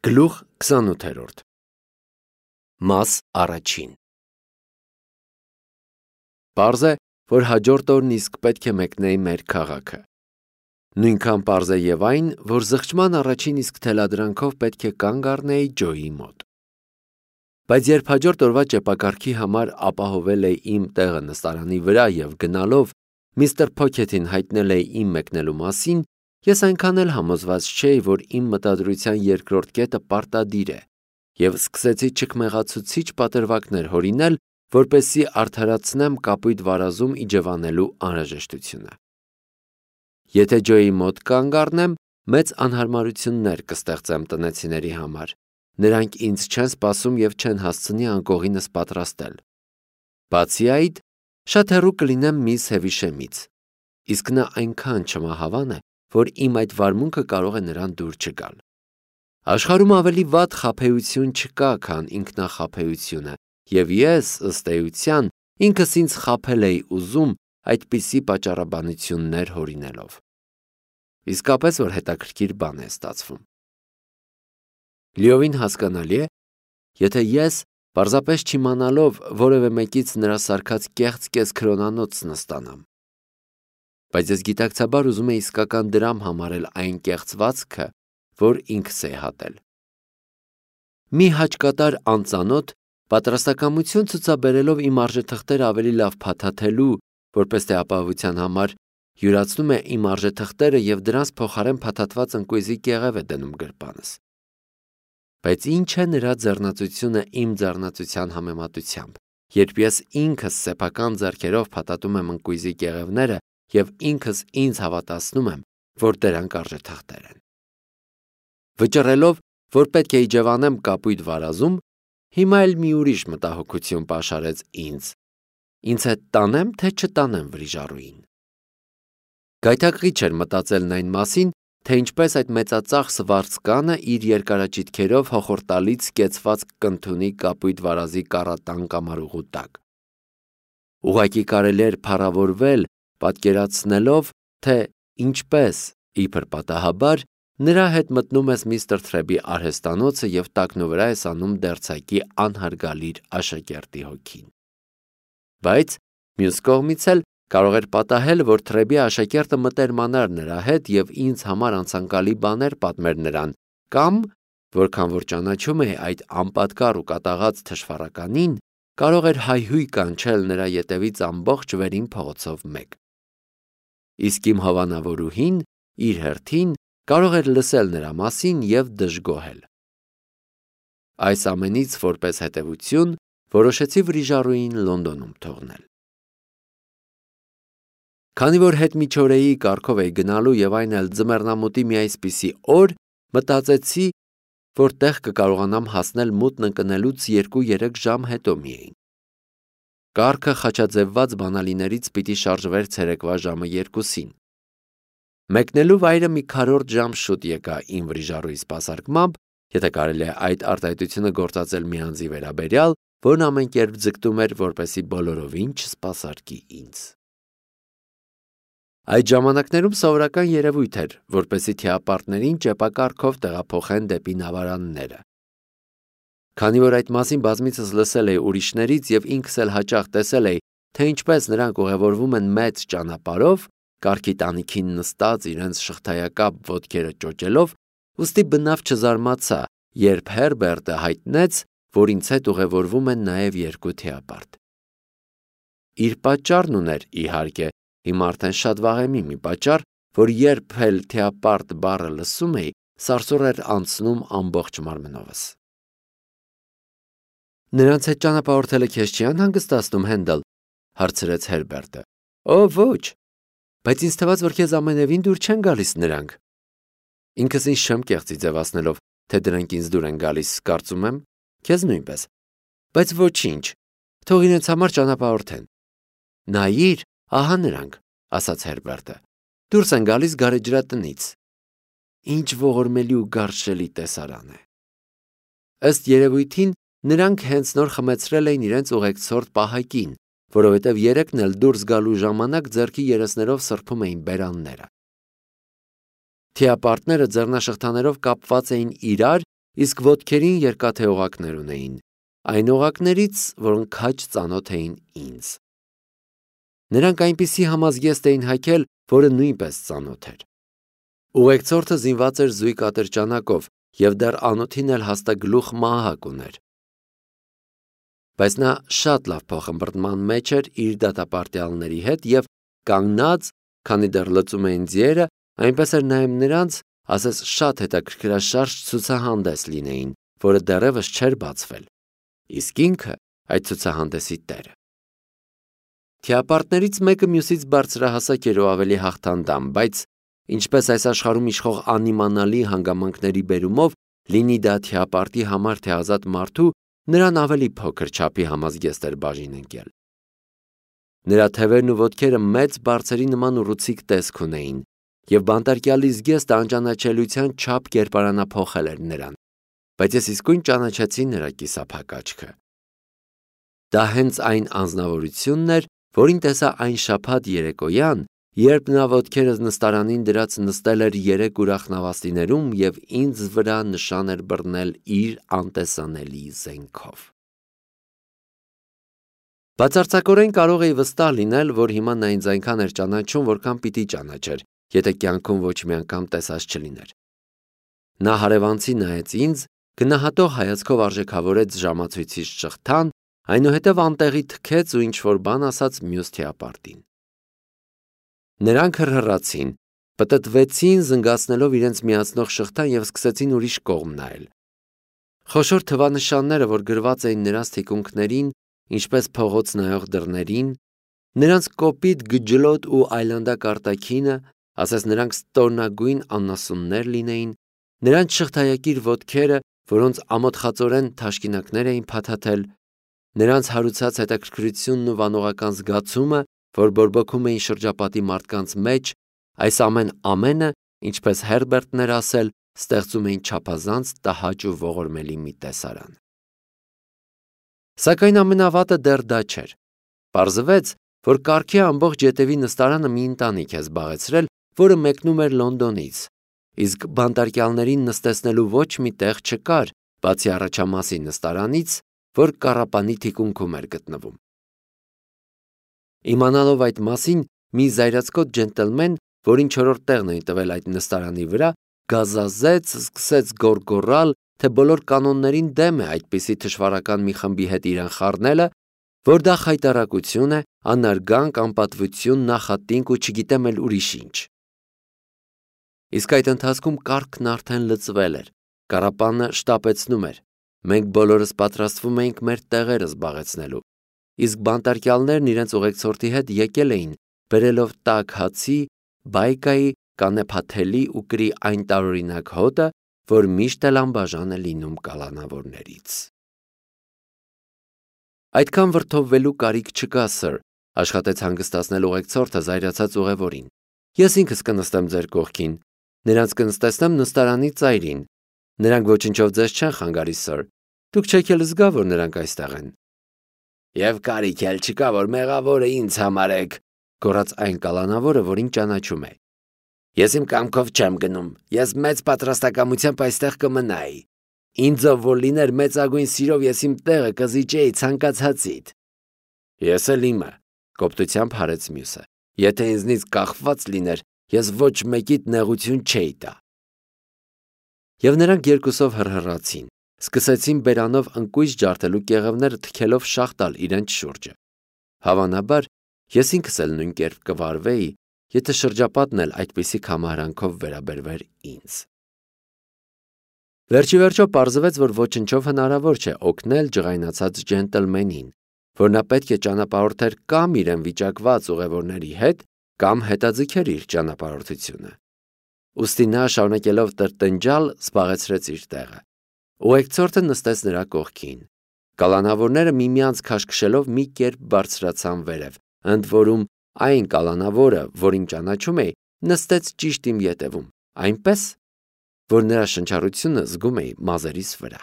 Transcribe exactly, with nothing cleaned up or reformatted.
Գլուխ քսանութերորդ Մաս առաջին Պարզ է, որ հաջորդ օրն իսկ պետք է մեկնեի մեր քաղաքը։ Նույնքան պարզ է և այն, որ զղջման առաջին իսկ թելադրանքով պետք է կանգ առնեի Ջոյի մոտ։ Բայց երբ հաջորդ օրվա ճեպակառքի համար ապահովել էի իմ տեղը նստարանի վրա և գնալով միստր Փոքեթին հայտնել էի իմ մեկնելու մասին, ես այնքան էլ համոզված չէի, որ իմ մտադրության երկրորդ կետը պարտադիր է, և սկսեցի չքմեղացուցիչ պատրվակներ հորինել, որպեսզի արդարացնեմ կապույտ վարազում իջևանելու անհրաժեշտությունը։ Եթե Ջոյի մոտ կանգ առնեմ, մեծ անհարմարություններ կստեղծեմ տնեցիների համար, նրանք ինձ չեն սպասում և չեն հասցնի անկողինս պատրաստել։ Բացի այդ, շատ հեռու կլինեմ միս Հևիշեմից, իսկ նա այնքան չմահավան է, որ իմ այդ վարմունքը կարող է նրան դուր չգալ։ Աշխարհում ավելի վատ խաբեություն չկա, քան ինքնախաբեությունը, և ես, ըստ էության, ինքս ինձ խաբել էի ուզում այդպիսի պատճառաբանություններ հորինելով։ Իսկապես, որ հետաքրքիր բան է ստացվում։ Լիովին հասկանալի է, եթե ես, պարզապես չիմանալով, որևէ մեկից նրա սարքած կեղծ կես-քրոնանոց նստանամ։ Բայց ես գիտակցաբար ուզում էի իսկական դրամ համարել այն կեղծվածքը, որ ինքս էի հատել։ Մի հաճկատար անծանոթ, պատրաստակամություն ցուցաբերելով իմ արժեթղթերը ավելի լավ փաթաթելու, որպես թե ապահովության համար, յուրացնում է իմ արժեթղթերը և դրանց փոխարեն փաթաթված ընկույզի կեղև է դնում գրպանս։ Բայց ինչ է նրա ձեռնածությունը իմ ձեռնածության համեմատությամբ, երբ ես ինքս սեփական ձեռքերով փաթաթում եմ ընկույզի կեղևները և ինքս ինձ հավատացնում եմ, որ դրանք արժեթղթեր են։ Վճռելով, որ պետք է իջևանեմ կապույտ վարազում, հիմա էլ մի ուրիշ մտահոգություն պաշարեց ինձ. ինձ հետ տանե՞մ, թե չտանեմ վրիժառուին։ Գայթակղիչ էր մտածելն այն մասին, թե ինչպես այդ մեծածախս վարձկանը իր երկարաճիթքերով հոխորտալից կեցված կընդունի կապույտ վարազի կառատան կամարուղու տակ։ Ուղղակի կարելի էր փառավորվել, պատկերացնելով, թե ինչպես, իբր պատահաբար, նրա հետ մտնում ես միստր Թրեբի արհեստանոցը և տակնուվրա ես անում դերձակի անհարգալից աշակերտի հոգին։ Բայց, մյուս կողմից էլ, կարող էր պատահել, որ Թրեբի աշակերտը մտերմանար նրա հետ և ինձ համար անցանկալի բաներ պատմեր նրան, կամ, որքան որ ճանաչում էի այդ անպատկառ ու կատաղած թշվառականին, կարող էր հայհույն կանչել նրա ետևից ամբողջ վերին փողոցով մեկ։ Իսկ իմ հովանավորուհին, իր հերթին, կարող էր լսել նրա մասին և դժգոհել։ Այս ամենից որպես հետևություն, որոշեցի վրիժառուին Լոնդոնում թողնել։ Քանի որ հետմիջօրեի կարգով էի գնալու և այն էլ ձմեռնամուտի մի այսպիսի օր, մտածեցի, որ տեղ կկարողանամ հասնել մութն ընկնելուց երկու-երեք ժամ հետո միայն։ Կառքը խաչաձևված բանալիներից պիտի շարժվեր ցերեկվա ժամը երկուսին։ Մեկնելու վայրը մի քառորդ ժամ շուտ եկա իմ վրիժառուի սպասարկմամբ, եթե կարելի է այդ արտահայտությունը գործածել մի անձի վերաբերյալ, որն ամեն կերպ ձգտում էր, որպեսզի բոլորովին չսպասարկի ինձ։ Այդ ժամանակներում սովորական երևույթ էր, որպեսզի թիապարտներին ճեպակառքով տեղափոխեն դեպի նավարանները։ Քանի որ այդ մասին բազմիցս լսել էի ուրիշներից և ինքս էլ հաճախ տեսել էի, թե ինչպես նրանք ուղևորվում են մեծ ճանապարհով, կառքի տանիքին նստած իրենց շղթայակապ ոտքերը ճոճելով, ուստի բնավ չզարմացա, երբ Հերբերտը հայտնեց, որ ինձ հետ ուղևորվում են նաև երկու թիապարտ։ Իր պատճառն ուներ, իհարկե, հիմա արդեն շատ վաղեմի մի պատճառ, որ երբ էլ թիապարտ բառը լսում էի, սարսուռ էր անցնում ամբողջ մարմնովս։ Նրանց հետ ճանապարհորդելը քեզ չի անհանգստացնում, Հենդալ, հարցրեց Հերբերտը։ Օ, ոչ, բայց ինձ թվաց, որ քեզ ամենևին դուր չեն գալիս նրանք։ Ինքս ինձ չեմ կեղծի ձևացնելով, թե դրանք ինձ դուր են գալիս, կարծում եմ, քեզ նույնպես։ Բայց ոչինչ, թող իրենց համար ճանապարհորդեն։ Նայիր, ահա նրանք, ասաց Հերբերտը։ Դուրս են գալիս գարեջրատնից։ Ինչ ողորմելի ու գարշելի տեսարան է։ Ըստ երևույթին, նրանք հենց նոր խմեցրել էին իրենց ուղեկցորդ պահակին, որովհետև երեքն էլ դուրս գալու ժամանակ ձեռքի երեսներով սրբում էին բերանները։ Թիապարտները ձեռնաշղթաներով կապված էին իրար իսկ ոտքերին երկաթե օղակներ ունեին, այն օղակներից, որոնք քաջ ծանոթ էին ինձ։ Նրանք այնպիսի համազգեստ էին հագել, որը նույնպես ծանոթ էր։ Ուղեկցորդը զինված էր զույգ ատրճանակով և դեռ անոթին էլ հաստագլուխ մահակ ուներ։ Բայց նա շատ լավ փոխըմբռնման մեջ էր իր դատապարտյալների հետ և կանգնած, քանի դեռ լծում էին ձիերը, այնպես էր նայում նրանց, ասես շատ հետաքրքրաշարժ ցուցահանդես լինեին, որը դեռևս չէր բացվել, իսկ ինքը այդ ցուցահանդեսի տերը։ Թիապարտներից մեկը մյուսից բարձրահասակ էր ու ավելի հաղթանդամ, բայց ինչպես այս աշխարհում իշխող անիմանալի հանգամանքների բերումով, լինի դա թիապարտի համար թե ազատ մարդու, նրան ավելի փոքր չափի համազգեստ էր բաժին ընկել։ Նրա թևերն ու ոտքերը մեծ բարձերի նման ուռուցիկ տեսք ունեին, և բանտարկյալի զգեստը անճանաչելիության չափ կերպարանափոխել էր նրան, բայց ես իսկույն ճանաչեցի նրա կիսափակ աչքը։ Դա հենց այն անձնավորությունն էր, որին տեսա այն շաբաթ երեկոյան, երբ նա ոտքերս նստարանին դրած նստել էր երեք ուրախ նավաստիներում և ինձ վրա նշան էր բռնել իր անտեսանելի զենքով։ Բացարձակորեն կարող էի վստահ լինել, որ հիմա նա ինձ այնքան էր ճանաչում, որքան պիտի ճանաչեր, եթե կյանքում ոչ մի անգամ տեսած չլիներ։ Նա հարևանցի նայեց ինձ, գնահատող հայացքով արժեքավորեց ժամացույցից շղթան, այնուհետև անտեղի թքեց ու ինչ-որ բան ասաց մյուս թիապարտին։ Նրանք հռհռացին, պտտվեցին, զնգացնելով իրենց միացնող շղթան և սկսեցին ուրիշ կողմ նայել։ Խոշոր թվանշանները, որ գրված էին նրանց թիկունքներին, ինչպես փողոց նայող դռներին, նրանց կոպիտ գջլոտ ու այլանդակ արտաքինը, ասես նրանք ստորնագույն անասուններ լինեին, նրանց շղթայակիր ոտքերը, որոնց ամոթխածորեն թաշկինակներ էին փաթաթել, նրանց հարուցած հետաքրքրությունն ու վանողական զգացումը, որ բորբոքում էին շրջապատի մարդկանց մեջ, այս ամեն ամենը, ինչպես Հերբերտն էր ասել, ստեղծում էին չափազանց տհաճ ու ողորմելի մի տեսարան։ Սակայն ամենավատը դեռ դա չէր։ Պարզվեց, որ կառքի ամբողջ ետևի նստարանը մի ընտանիք է զբաղեցրել, որը մեկնում էր Լոնդոնից, իսկ բանտարկյալներին նստեցնելու ոչ մի տեղ չկար, բացի առաջամասի նստարանից, որ կառապանի թիկունքում էր գտնվում։ Իմանալով այդ մասին, մի զայրացկոտ ջենտլմեն, որին չորրորդ տեղն էին տվել այդ նստարանի վրա, գազազեց, սկսեց գոռգոռալ, թե բոլոր կանոններին դեմ է այդպիսի թշվառական մի խմբի հետ իրեն խառնելը, որ դա խայտառակություն է, անարգանք, անպատվություն, նախատինք ու չգիտեմ էլ ուրիշ ինչ։ Իսկ այդ ընթացքում կառքն արդեն լծվել էր, կառապանը շտապեցնում էր, մենք բոլորս պատրաստվում էինք մեր տեղերը զբաղեցնելու, իսկ բանտարկյալներն իրենց ուղեկցորդի հետ եկել էին, բերելով տաք հացի, բայկայի, կանեփաթելի ու կրի այն տարօրինակ հոտը, որ միշտ էլ անբաժան է լինում կալանավորներից։ Այդքան վրդովվելու կարիք չկա, սըր, աշխատեց հանգստացնել ուղեկցորդը զայրացած ուղևորին։ Ես ինքս կնստեմ ձեր կողքին, նրանց կնստեցնեմ նստարանի ծայրին, նրանք ոչնչով ձեզ չեն խանգարի, սըր, դուք չեք էլ զգա, որ նրանք այստեղ են։ Եվ կարիք էլ չկա, որ մեղավորը ինձ համարեք, գոռաց այն կալանավորը, որին ճանաչում է։ Ես իմ կամքով չեմ գնում, ես մեծ պատրաստակամությամբ այստեղ կմնայի։ Ինձով որ լիներ մեծագույն սիրով ես իմ տեղը կզիջեի ցանկացածիդ։ Ես էլ իմը, կոպտությամբ հարեց մյուսը։ Եթե ինձնից կախված լիներ, ես ոչ մեկիդ նեղություն չէի տա։ Եվ նրանք երկուսով հռհռացին, սկսեցին բերանով ընկույզ ջարդելու կեղևները թքելով շաղ տալ իրենց շուրջը։ Հավանաբար, ես ինքս էլ նույն կերպ կվարվեի, եթե շրջապատն էլ այդպիսի կամարանքով վերաբերվեր ինձ։ Վերջի վերջո պարզվեց, որ ոչնչով հնարավոր չէ օգնել ջղայնացած ջենտլմենին, որ նա պետք է ճանապարհորդեր կամ իրեն վիճակված ուղևորների հետ, կամ հետաձգեր իր ճանապարհորդությունը։ Ուստի նա, շարունակելով տրտնջալ, զբաղեցրեց իր տեղը։ Ուղեկցորդը նստեց նրա կողքին։ Կալանավորները միմյանց քաշքշելով մի կերպ բարձրացան վերև, ընդ որում այն կալանավորը, որին ճանաչում էի, նստեց ճիշտ իմ ետևում, այնպես, որ նրա շնչառությունը զգում էի մազերիս վրա։